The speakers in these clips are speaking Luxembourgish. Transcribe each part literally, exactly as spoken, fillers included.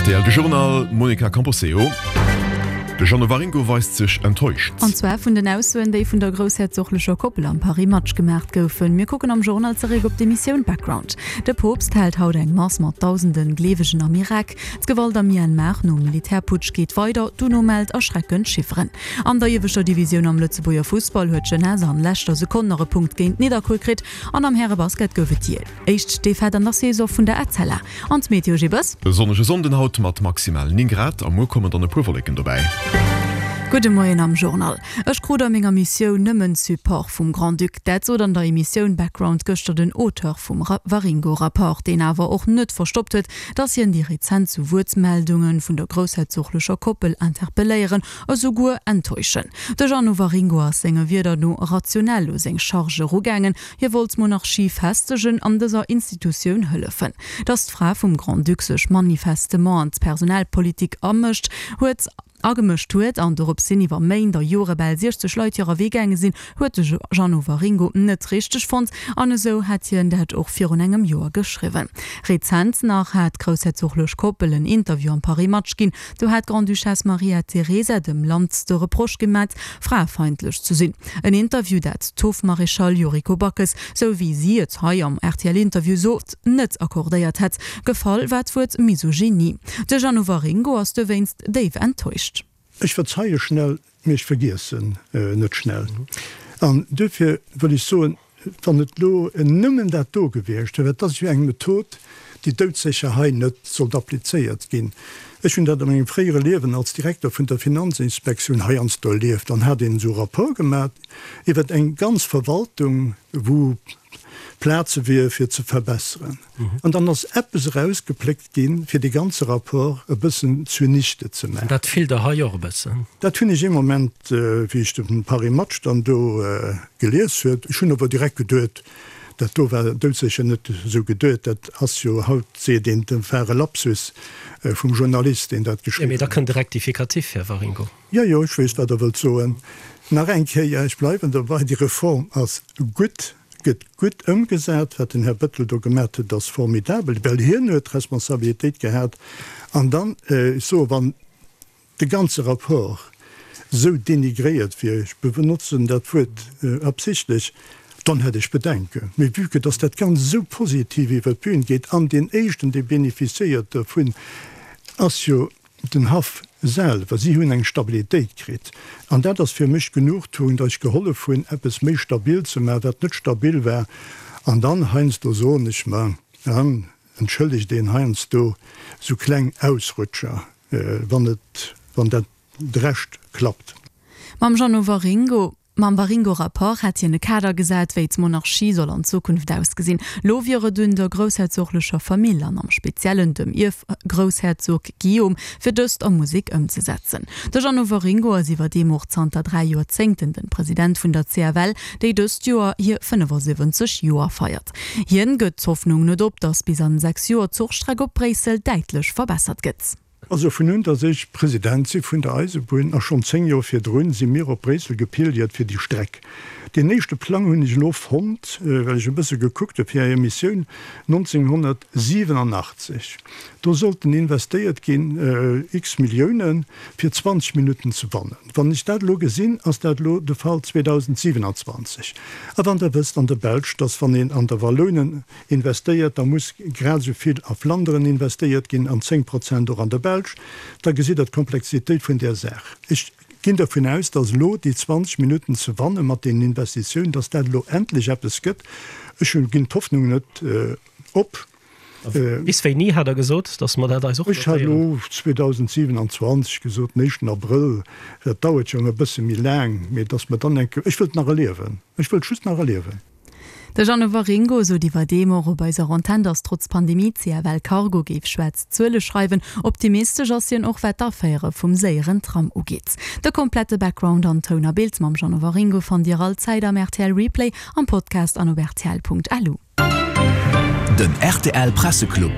Rtl de Journal, Monica Camposeo. De Jeannot Waringo weist sech enttäuscht. An zwar vun den Aussoen, déi vun der groussherzoglecher Koppel am Paris Match gemaacht goufen. Mir kucken am Journal zeréck op d'Emissioun Background. De Poopst hält haut eng Mass mat dausende Gleewegen am Irak. D'Gewalt am Myanmar nom Militärputsch geet weider, d'UNO mellt erschreckend Chifferen. An der ieweschter Divisioun am Lëtzebuerger Fussball huet d'Jeunesse an leschter Sekonn nach e Punkt géint Nidderkuer kritt an am Härebasket gouf et déi éischt Defaite an der Saison vun der Etzella. An d'Meteo Gibes? E sonnege Sonnden haut mat maximal néng Grad a muer kommen dann e puer Wolleken dobäi. Gudde Moien am Journal. Ech krut a menger Missioun nëmmen Support vum Grand-Duc. Dat sot an der Emissioun Background gëschter den Auteur vum Waringo-Rapport, deen awer och net verstoppt huet, datt hien déi rezent Zu-Wuert-Meldunge vun der groussherzoglecher Koppel interpelléieren, esouguer enttäuschen. De Jeannot Waringo ass senge Wierder no rationell u seng Charge erugaangen, Hie wollt d'Monarchie festegen an dëser Institutioun hëllefen. Datt d'Fra vum Grand-Duc sech manifestement an d'Personalpolitik amëscht huet, agemëscht huet an dorops hin iwwer Méint a Jore bal siechzeg Leit hirer Wee gaange sinn, huet de Jeannot Waringo net richteg fonnt an esou hätt hien dat och virun engem Joer geschriwwen. Rezent nach hat d'groussherzoglech Koppel en Interview am Paris Match ginn. Do hat d'Grande-Duchesse Maria Teresa dem Land de Reproche gemat, fraefeindlech ze sinn. En Interview, dat d'Hofmaréchal Yuriko Backes, sou wéi si et hei am R T L-Interview sot, net accordéiert hätt. Gefall war d'Wuert Misogynie. De Jeannot Waringo ass dowéinst déif enttäuscht. Ech verzeie schnell, mee ech vergiessen net schnell. An duerfir wëll ech soen, wann et elo nëmmen dat do gewiescht wier, dat ass jo eng Method, déi doudsécher hei net sollt applizéiert ginn. Ech hunn dat a mengem fréiere Liewen als Direkter vun der Finanzinspektioun heiansdo erlieft, dann hat een esou e Rapport gemaach iwwer eng ganz Verwaltung, wou Plaze wier fir ze verbesseren. An dann ass eppes erausgepléckt ginn, fir dee ganze Rapport e bëssen zunichte ze maachen. Dat fillt Der hei och e bëssen? Dat hunn ech ee Moment, wéi ech de Paris Match dann do gelies huet. Ech hunn awer direkt geduet, dat do war doudsécher net esou geduet. Dat ass jo, haut seet een, dat war e Lapsus vum Journalist, deen dat Jo, geschriwwen mee da huet. kënnt de Rectificatif, Här Waringo. Jo, jo, ech weess, wat Der wëllt soen. Nach eng Kéier, ech bleiwen dobei, déi Reform ass gutt, gëtt gutt ëmgesat. Wat den Här Bettel do gemat huet, ass formidabel, well hien huet d'Responsabilitéit gehat. An dann, ech soe, wann de ganze Rapport esou denigréiert wier, ech benotzen dat Wuert absichtlech, dann hätt ech Bedenken. Mee vue que dass dat Ganzt esou positiv iwwer d'Bühn geet, an deen Éischten, dee bénéficiéiert dovun, ass jo den Haff selwer, si hunn eng Stabilitéit kritt. An dat ass fir mech d'Genugtuung, datt ech gehollef hunn, eppes méi stabil ze maachen, wat net stabil war. An dann heiansdo soen ech mer, dann entschëllegt een heiansdo esou kleng Ausrutscher, wann et, wann dat de Rescht klappt. Mam Jeannot Waringo. Mam Waringo-Rapport hätt hien e Kader gesat, wéi d'Monarchie soll an Zukunft ausgesinn. Lo wier et un der groussherzoglecher Famill an am Speziellen dem Ierfgroussherzog Guillaume, fir dëst a Musek ëmzesetzen. De Jeannot Waringo ass iwwerdeem och zanter dräi Joerzéngten de President vun der C F L, déi dëst Joer hir fënnefasiwwenzeg Joer feiert. Hien gëtt d'Hoffnung net op, datt bis an sechs Joer d'Zuchstreck op Bréissel däitlech verbessert gëtt. Also vun un, datt ech President si vun der Eisebunn, a schonn zéng Joer virdrun, si mir op Bréissel gepilgert fir déi Streck. Deen éischte Plang hunn ech elo fonnt, well ech e bësse gekuckt hu fir Är Emissioun, nonzénghonnertsiwenachtzeg. Do sollten investéiert ginn x Milliounen, fir zwanzeg Minutten ze wannen. Wann ech dat elo gesinn, ass dat elo de Fall zweedausendsiwenanzwanzeg. A wann Der wësst an der Belsch, datt wann een an der Wallounen investéiert, da muss grad esou vill a Flanderen investéiert ginn an zéng Prozent och an der Belsch, da gesitt Der d'Komplexitéit vun där Saach. Ech ginn dervun aus, datt elo déi zwanzeg Minutten ze wanne mat deenen Investitiounen, datt dat elo endlech eppes gëtt. Ech hunn, ginn d'Hoffnung net op. Bis wéini hat Der gesot, datt mer dat eis och Ech hat notéieren? elo zweedausendsiewenanzwanzeg gesot, den éischten Abrëll, dat dauert jo nach e bësse méi laang, mee datt mer dann eng Kéier, ech wëllt nach erliewen, ech wëllt just nach erliewen. De Jeannot Waringo sot iwwerdeem och op eiser Antenn, datt trotz Pandemie d'C F L Cargo géif schwaarz Zuele schreiwen. Optimistesch ass hien och wat d'Aféiere vum séieren Tram ugeet. De komplette Background an Toun a Bild mam Jeannot Waringo fannt Dir all Zäit am R T L Replay, am Podcast an op R T L Punkt L U. Den R T L Presseclub.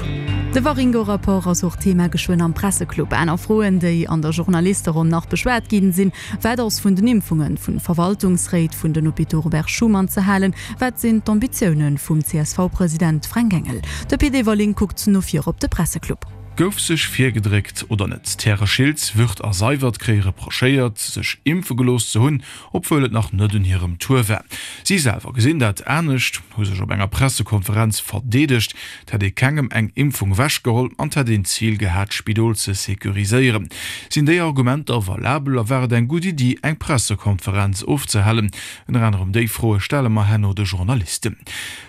De Waringo-Rapport ass och Thema geschwënn am Presseclub. Aner Froen, déi an der Journalisteronn nach beschwat ginn, sinn, Wat ass vun den Impfungen, vun Verwaltungsréit vun den Hôpitaux Robert Schuman ze halen? Wat sinn d'Ambitioune vum C S V-President Fränk Engel? De Pit Everling kuckt no vir op de Presseclub. Gouf sech virgedréckt oder net? D'Häre Schiltz, Wirth a Seywert kréie reprochéiert, sech impfe gelooss ze hunn, obwuel et nach net un hirem Tour war. Si selwer gesinn dat anescht, hu sech op enger Pressekonferenz verdeedegt. Et hätt ee kengem eng Impfung ewechgeholl an et hätt een d'Zil gehat, d'Spidol ze securiséieren. Sinn déi Argumenter valabel a war et eng gutt Iddi, eng Pressekonferenz ofzehalen? Ënner anerem déi Froe stelle mer herno de Journalisten.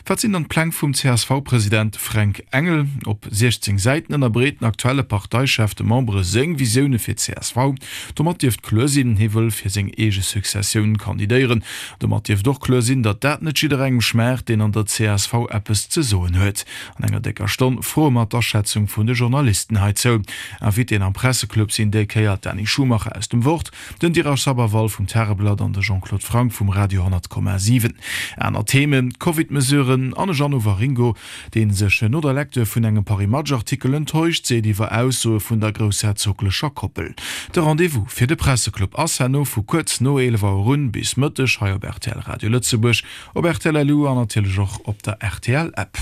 Wat sinn dann d'Pläng vum C S V-President Fränk Engel? Op siechzéng Säiten ënnerbreet den aktuelle Parteichef de Membere seng Visioune fir d'C S V. Domat dierft kloer sinn, hie wëll fir seng eege Successioun kandidéieren. Domat dierft och kloer sinn, datt dat net jidderengem schmaacht, deen an der C S V eppes ze soen huet. An enger décker Stonn froe mer d'Aschätzung vun de Journalisten heizou. Invitéen am Presseclub sinn déi Kéier d'Dany Schumacher aus dem Wort, den Dheeraj Sabharwal vum Tageblatt an de Jean-Claude Franck vum Radio honnert Komma siwen. Aner Themen, Covid-Mesuren an e Jeannot Waringo, dee sech no der Lecture vun engem Paris Match-Artikel enttäuscht seet iwwer Aussoe vun der groussherzoglecher Koppel. De Rendez-vous fir de Presseclub ass herno vu kuerz no eelef Auer un bis Mëtteg hei op R T L Radio Lëtzebuerg, op R T L L U an natierlech och op der R T L App.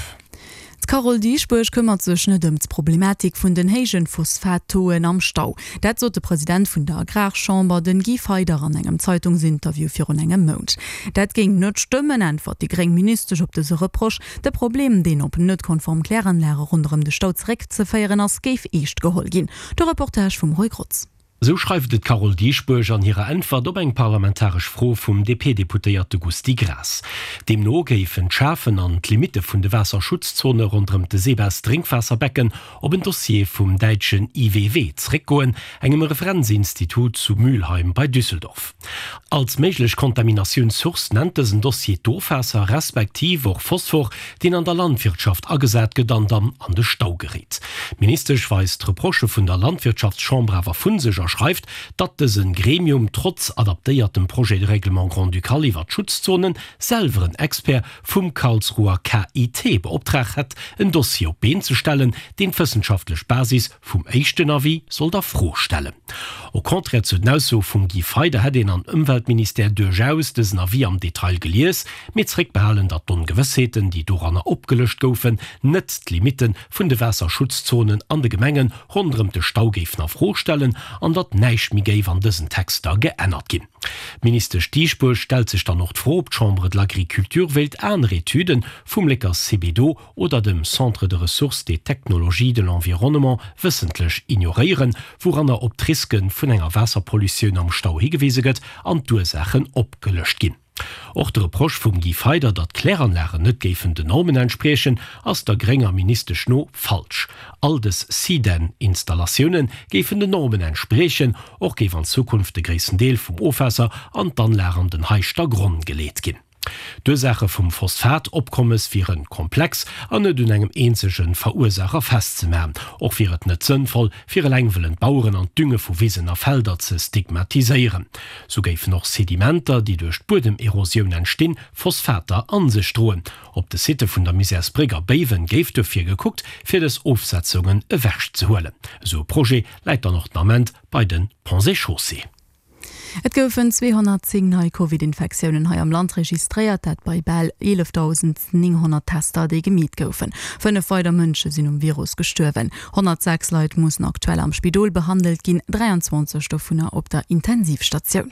D'Carole Dieschbourg këmmert sech net ëm d'Problematik vun den héijen Phosphat-Tauxen am Stau. Dat sot de President vun der Agrarchamber, den Guy Feyder, an engem Zeitungsinterview virun engem Mount. Dat géing net stëmmen, äntwert déi gréng Ministesch op dëse Reproche. De Problem, deen op net konform Kläranlage ronderëm de Stau zeréckzeféieren ass, géif eescht geholl ginn. De Reportage vum Roy Grotz. Sou schreift et d'Carole Dieschbourg an hirer Äntwert op eng parlamentaresch Fro vum D P-Deputéierte Gusty Graas. Deemno géifen d'Schafen an d'Limitte vun de Waasserschutzzone ronderëm de Sebes-Drénkwaasserbecken op en Dossier vum däitschen I W W zréckgoen, engem Referenzinstitut zu Mülheim bei Düsseldorf. Als méiglech Kontaminatiounssource nennt dësen Dossier d'Ofwaasser respektiv och Phosphor, deen an der Landwirtschaft agesat gëtt an dann an de Stau geréit. D'Ministesch weist d'Reprochë vun der Landwirtschaftschamber awer vu sech a schreift, datt dëse Gremium trotz adaptéiertem Projet de règlement grand-ducal iwwer d'Schutzzonen selwer en Expert vum Karlsruher K I T beoptraagt hätt, en Dossier op d'Been ze stellen, deen d'wëssenschaftlech Basis vum éischten Avis sollt a Fro stellen. Au contraire zu den Aussoe vum Guy Feyder hätt een am Ëmweltministère duerchaus dësen Avis am Detail gelies, mee zréckbehalen, datt d'Ongewëssheeten, déi doranner opgelëscht goufen, net d'Limitte vun de Waasserschutzzonen an de Gemenge ronderëm de Stau géifen a Fro stellen an datt näischt méi géif an dësen Texter geännert ginn. D'Ministesch Dieschbourg stellt sech dann och d'Fro, ob d'Chambre de l'Agriculture wéilt aner Etüde vum Lécker Cebedo oder dem Centre de ressources et technologies de l'environnement wëssentlech ignoréieren, wouranner op d'Riske vun enger Waasserpollutioun am Stau higewise gëtt an d'Ursaachen opgelëscht ginn. Och de Reproche vum Guy Feyder, datt d'Kläranlagen net géifen den Normen entspriechen, ass der grénger Ministesch no falsch. All dës CDEN-Installatioune géifen den Normen entspriechen, och géif an Zukunft de gréissten Deel vum Ofwaasser an d'Anlag an den Heischtergronn geleet ginn. D'Ursaache vum Phosphat-Opkommes wiere komplex an net un engem eenzege Verursaacher festzemaachen. Och wier et net sënnvoll, fir eleng wëllen d'Baueren an d'Dünge vu Wisen a Felder ze stigmatiséieren. Sou géifen och Sedimenter, déi duerch d'Buedemerosioun entstinn, Phosphater a sech droen. Op de Sitte vun der Misärsbréck a Béiwen géif dofir gekuckt, fir dës Ofsetzungen ewechzehuelen. Esou e Projet läit dann och den Ament bei de Ponts et Chaussées. Et goufen zweehonnertzéng nei Covid-Infektiounen hei am Land registréiert, dat bei bal eelefdausendnénghonnert Tester, déi gemeet goufen. Fënnef weider Mënsche sinn um Virus gestuerwen. Honnertsechs Leit mussen aktuell am Spidol behandelt ginn, dräianzwanzeg dovunner op der Intensivstatioun.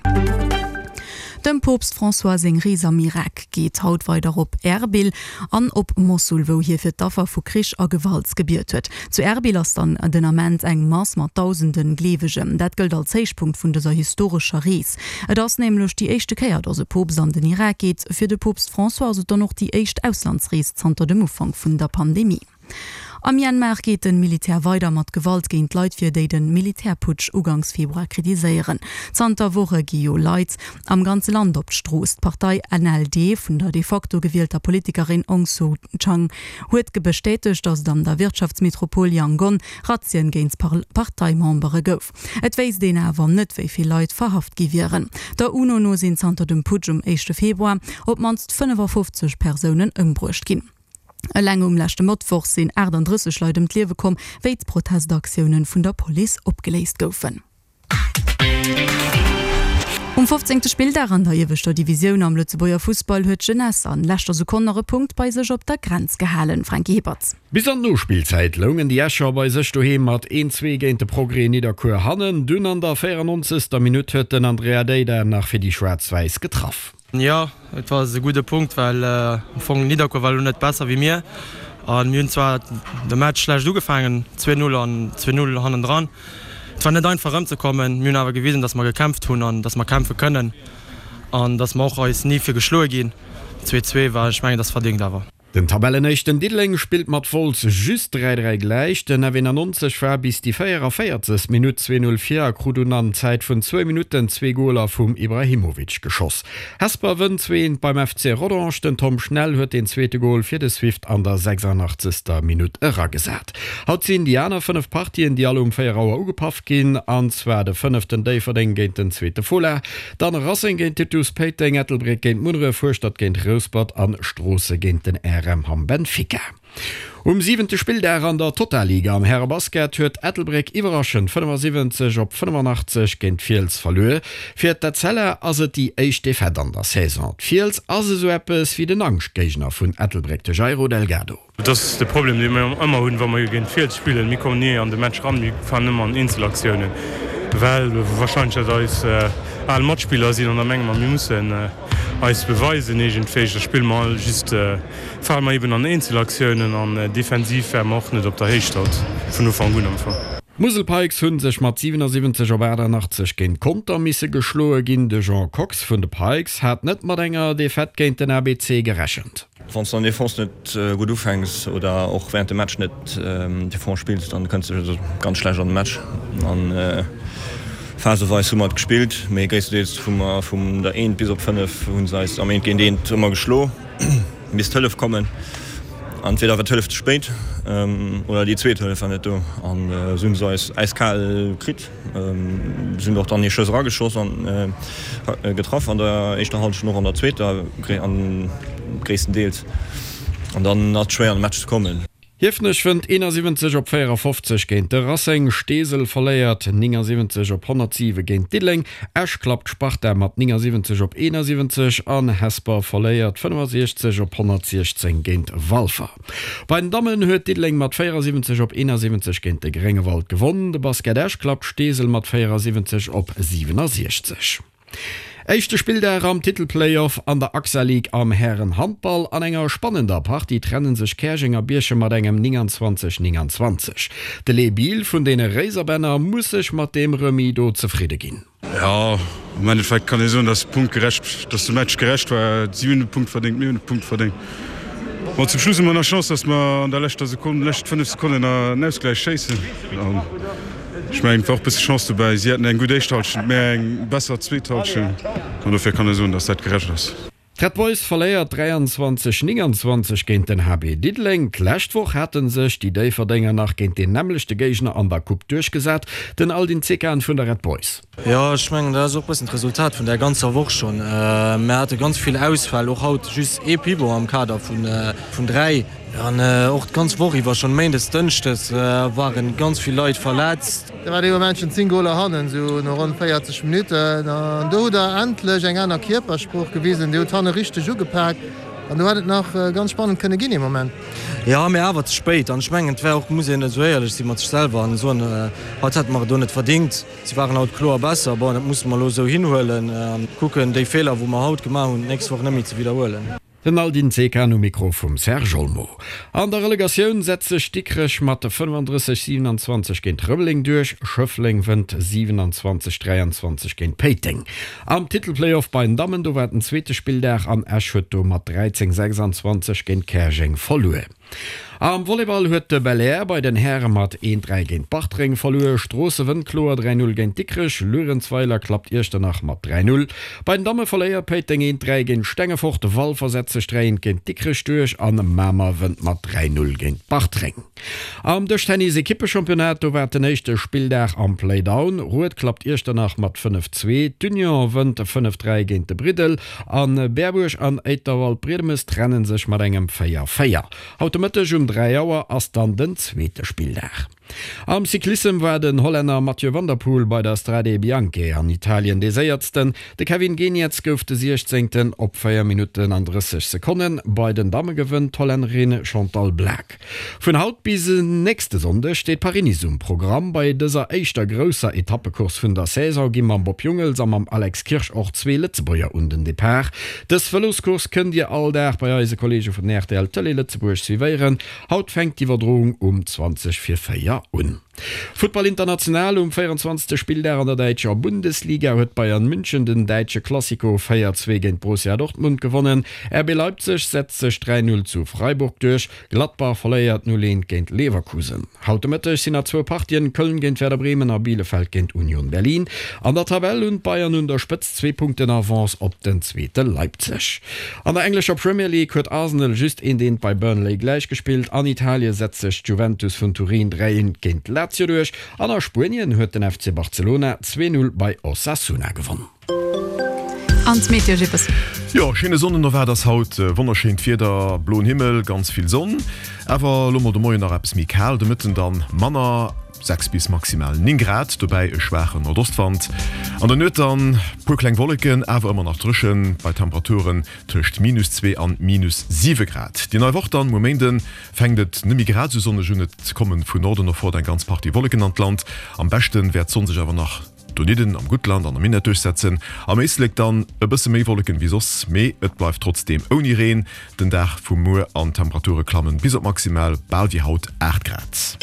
Dem Poopst François seng Rees am Irak geet haut weider op Erbil an op Mossul, wou hie fir d'Affer vu Krich a Gewalt gebiet huet. Zu Erbil ass dann den Ament eng Mass mat dausende Gleewegen. Dat gëllt als Héichpunkt vun dëser historescher Rees. Et ass nämlech déi éischte Kéier, datt e Poopst an den Irak geet. Fir de Poopst François ass et dann och déi éischt Auslandsrees zanter dem Ufank vun der Pandemie. Am Myanmar geet de Militär weider mat Gewalt géint Leit vir, déi de Militärputsch ugangs Februar kritiséieren. Zanter Woche gi jo Leit am ganze Land op d'Strooss. D'Partei N L D vun der de facto gewielter Politikerin Aung Suu Kyi huet bestätegt, datt et an der Wirtschaftsmetropol Yangon Razzien géint Parteimembere gouf. Et wéisst een awer net, wéi vill Leit verhaft gi wieren. Der UNO no sinn zanter dem Putsch um éischte Februar op d'mannst fënnefafofzeg Persounen ëmbruecht ginn. Eleng um leschte Mëttwoch sinn aachtanddrësseg Leit ëm d'Liewe komm, wéi d'Protestaktiounen vun der Police opgeléist goufen. Um fofzéngte Spilldag an der ieweschter Divisioun am Lëtzebuerger Fussball huet d'Jeunesse an leschter Sekonn nach e Punkt bei sech op der Grenz gehalen. Franky Hippert. Bis an d'Nospillzäit loungen déi Escher bei sech doheem mat een, zwee géint de Progrès Nidderkuer hannen. Dunn an der véierannonzegster Minutt huet den Andrea Deida nach fir déi Schwaarz-Wäiss getraff. Jo, et war e gudde Punkt, well am Fong Nidderkuer war elo net besser wéi mir an mir hunn zwar de Match schlecht ugefaangen, zwee Null an zwee Null hannendran. Et war net einfach erëmzekommen. Mir hunn awer gewisen, dass mer gekämpft hunn an dass mer kämpfe kënnen an dass mer och eis ni fir geschloe ginn. Zwee zwee war, ech mengen, dat ass verdéngt awer. Den Tabellenéischten Diddeleng spillt mat Wolz just dräi dräi gläich. Den F eenannonzeg war bis déi véieraféierzegst Minutt zwee Null vir a krut dunn an Zäit vun zwou Minutten zwee Goler vum Ibrahimovic geschoss. Hesper wënnt zwee eent beim F C Rodange. Den Tom Schnell huet deen zweete Gol fir de Swift an der sechsundachtzegster Minutt eragesat. Haut sinn déi aner fënnef Partien, déi all um véier Auer ugepaff ginn, an zwar de fënneften Déifferdeng géint den zweete Fola, dann Racing géint Titus Péiteng, Ettelbréck géint Munneref, Hueschtert géint Rouspert an Stroosse géint den R M Hamm Benfica. Um siwente Spilldag an der Totalliga am Härebasket huet Ettelbréck iwwerraschend fënnefasiwwenzeg op fënnefanachtzeg géint d'Fiels verluer. Fir d'Etzella ass et déi éischt Defaite an der Saison. D'Fiels ass esou eppes wéi den Angschtgéigner vun Ettelbréck, de Jairo Delgado. Et ass de Problem, dee mir ëmmer hunn, wa mer géint d'Fiels spillen. Mir kommen ni an de Match eran, mir fannen ëmmer an Eenzelaktiounen, well warscheinlech dat eis al Matspiller sinn an da menge mer, mir mussen eis beweisen iergendwéi. Da spille mer all just, fale mer eben an Eenzelaktiounen an defensiv ware mer och net op der Héicht haut, vun Ufank un am Fong. D'Musel Pikes hu sech mat siwenasiwwenzeg op achtannachtzeg géint Conter misse geschloe ginn. De Jean Kox vun de Pikes hat net mat enger Defaite géint den A B C gerechent. Wann s de an der Defense net gutt ufänks oder och wärend dem Match net Defense spills, dann kënns de ganz schlecht an de Match. An phaseweis hu mer et gespillt, mee gréisstendeels hu mer vum der eent bis op fënnef hu se eis am eent géint eent ëmmer geschlo, misst Hëllef kommen. Entweder war d'Hëllef ze spéit oder déi zweet Hëllef war net do an esou hunn se eis äiskal kritt. Se hunn och dann ee Schëss erageschoss an getraff an der éischter Hallschent, och an der zweeter gréisstendeels an dann ass et schwéier an de Match ze kommen. Hiefenech wënnt eenasiwwenzeg op véierafofzeg géint de Racing, Steesel verléiert néngasiwwenzeg op honnertsiwe géint Diddeleng, Esch klappt d'Sparta mat néngasiwwenzeg op eenasiwwenzeg an Hesper verléiert fënnefasiechzeg op honnertsiechzéng géint Walfer. Bei den Dammen huet Diddeleng mat véierasiwwenzeg op eenasiwwenzeg géint de Gréngewald gewonn, de Basket Esch klappt Steesel mat véierasiwwenzeg op siwenasiechzeg. Éischte Spilldag am Titelplayoff an der AXA League am Hären-Handball. An enger spannender Partie trennen sech Käerjeng a Bierchem mat engem nénganzwanzeg, nénganzwanzeg. De Les Biel vun deene Réiserbänner muss sech mat deem Remis do zefridde ginn. Jo, am Endeffekt kann ee soen, dass de Punkt gerecht, dass de Match gerecht war. Si hunn e Punkt verdéngt, mir hunn e Punkt verdéngt. Bon, zum Schluss hu mer nach Chance, dass mer an der leschter Sekonn, lescht fënnef Sekonnen nach en Ausgläich schéissen. An ech mengen, et war och e bësse Chance dobäi. Si haten eng gutt éischt Hallschent, mär eng besser zweet Hallschent. An dofir kann ee soen, dass dat gerecht ass. D'Red Boys verléiert dräianzwanzeg nénganzwanzeg géint den H B Diddeleng. D'lescht Woch hate sech déi Déifferdenger nach géint deen nämmlechte Géigner an der Coupe duerchgesat, den Aldin Zekan vun der Red Boys. Jo, ech mengen, dat ass och e bëssen d'Resultat vun där ganzer Woch schonn. Mir hate ganz vill Ausfäll, och haut just ee Pivot am Kader vun dräi. An och d'ganz Woch iwwer, schonn méindes, dënschdes, ware ganz vill Leit verletzt. Da war dee Moment schonn zéng Goler hannen, esou no ronn véierzeg Minutten. An do hutt Der endlech eng aner Kierpersprooch gewisen. Dir hutt hanne richteg ugepak an do hätt et nach ganz spannend kënne ginn ee Moment. Jo, mee awer ze spéit. An ech mengen, et wär och, muss een esou éierlech si mat sech selwer an soen, haut hätte mer et do net verdingt. Si waren haut kloer besser. Bon, dat musse mer elo esou hinhuelen an kucken, déi Feeler, wou mer haut gemaach hunn, d'nächst Woch net méi ze widderhuelen. Den Aldin Zekan um Mikro vum Serge Olmo. An der Relegatioun setzt sech Dikrech mat fënnefandrësseg, siewenanzwanzeg géint Rëmeleng duerch, Schëffleng wënnt siewenanzwanzeg, dräianzwanzeg géint Péiteng. Am Titelplayoff bei den Dammen, do war den zweete Spilldag an Esch huet do mat dräizéng, sechsanzwanzeg géint Käerjeng verluer. Am Volleyball huet de Belair bei den Häre mat een, dräi géint Bartreng verluer. Stroosse wënnt kloer dräi, null géint Dikrech, Luerenzweiler klappt Iechternach mat dräi, null. Bei den Damme verléiert Péiteng een, dräi géint Stengefort, Walfer setzt sech dräi, eent géint Dikrech duerch an Mamer wënnt mat dräi, null géint Bartreng. Am Dëschtennis-Ekippechampionnat, do war den éischte Spilldag am Playdown. Rued klappt Iechternach mat fënnef, zwee, d'Union wënnt fënnef, dräi géint de Briddel an Berbuerg an Éiterwald-Briedemes trenne sech mat engem véier, véier. Haut de Mëtteg um dräi Auer ass dann den zweete Spilldag. Am Cyclissem war den Hollänner Mathieu van der Poel bei der Strade Bianche an Italien dee Séiersten. De Kevin Geniets gouf de Siechzéngten op véier Minutten an drësseg Sekonnen. Bei den Damme gewënnt d'Hollännerin Chantal Blaak. Vun haut bis en nächste Sonndeg steet Paris-Nice um Programm. Bei dëser éischter grousser Etappecourse vun der Saison gi mam Bob Jungels a mam Alex Kirsch och zwee Lëtzebuerger un den Depart. Dës Vëloscourse kënnt Dir all Dag bei eise Kolleege vun rtl Tëlee Lëtzebuerg suivéieren. Haut fänkt d'Iwwerdroung um zwanzeg vir véier un. Futtball international, Um véierundzwanzegste Spilldag an der däitscher Bundesliga huet Bayern München den däitsche Klassiko véier zwee géint Borussia Dortmund gewonnen. R B Leipzig setzt sech dräi null zu Freiburg duerch, Gladbach verléiert null eent géint Leverkusen. Haut de Mëtteg sinn nach zwou Partien, Köln géint Werder Bremen a Bielefeld géint Union Berlin. An der Tabell hunn d'Bayern un der Spëtzt zwee Punkten Avance op den Zweete Leipzig. An der englescher Premier League huet Arsenal just eent eent bei Burnley gläichgespillt. An Italie setzt sech d'Juventus vun Turin dräi eent géint Lazio duerch an a Spuenien huet den F C Barcelona zwee null bei Osasuna gewonn. An d'Meteo, Jippes. Jo, schéine Sonnenowend ass haut, wonnerschéint Wieder, bloen Himmel, ganz vill Sonn. Awer elo mol de Moien nach eppes méi kal, de Mëtten dann manner, sechs bis maximal néng Grad, dobäi e schwaachen Nordostwand. An der Nuet dann puer kleng Wolleken, awer ëmmer nach dréchen, bei Temperaturen tëscht minus zwee an minus siwe Grad. Déi nei Woch dann, muer Méinden, fänkt et net méi grad esou sonneg un, et kommen vun Norden erfort eng ganz Partie Wolleken an d'Land. Am beschte wäert d'Sonn sech awer nach donidden am Guttland an am Minett duerchsetzen. Am Éislek dann e bësse méi Wolleken wéi soss, mee et bleift trotzdeem ouni Reen den Dag vu muer an d'Temperature klammen bis op maximal bal wéi haut aacht Grad.